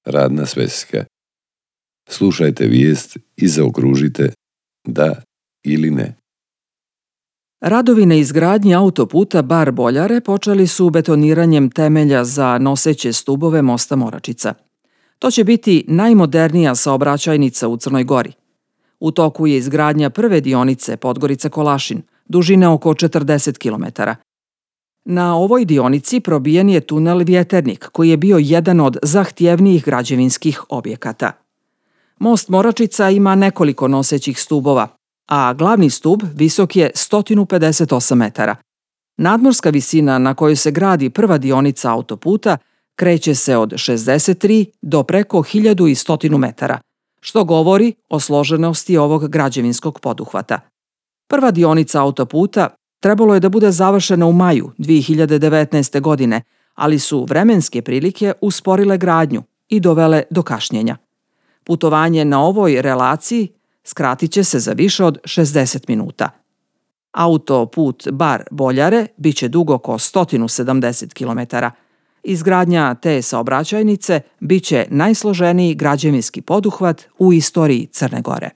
radna sveska. Slušajte vijest i zaokružite da ili ne. Radovi na izgradnji autoputa Bar-Boljare počeli su betoniranjem temelja za noseće stubove mosta Moračica. To će biti najmodernija saobraćajnica u Crnoj Gori. U toku je izgradnja prve dionice Podgorica-Kolašin, dužine oko 40 km. Na ovoj dionici probijen je tunel Vjeternik, koji je bio jedan od zahtjevnijih građevinskih objekata. Most Moračica ima nekoliko nosećih stubova, a glavni stub visok je 158 metara. Nadmorska visina na kojoj se gradi prva dionica autoputa kreće se od 63 do preko 1100 metara, što govori o složenosti ovog građevinskog poduhvata. Prva dionica autoputa trebalo je da bude završena u maju 2019. godine, ali su vremenske prilike usporile gradnju i dovele do kašnjenja. Putovanje na ovoj relaciji skratit će se za više od 60 minuta. Autoput Bar-Boljare biće dug oko 170 km. Izgradnja te saobraćajnice biće najsloženiji građevinski poduhvat u istoriji Crne Gore.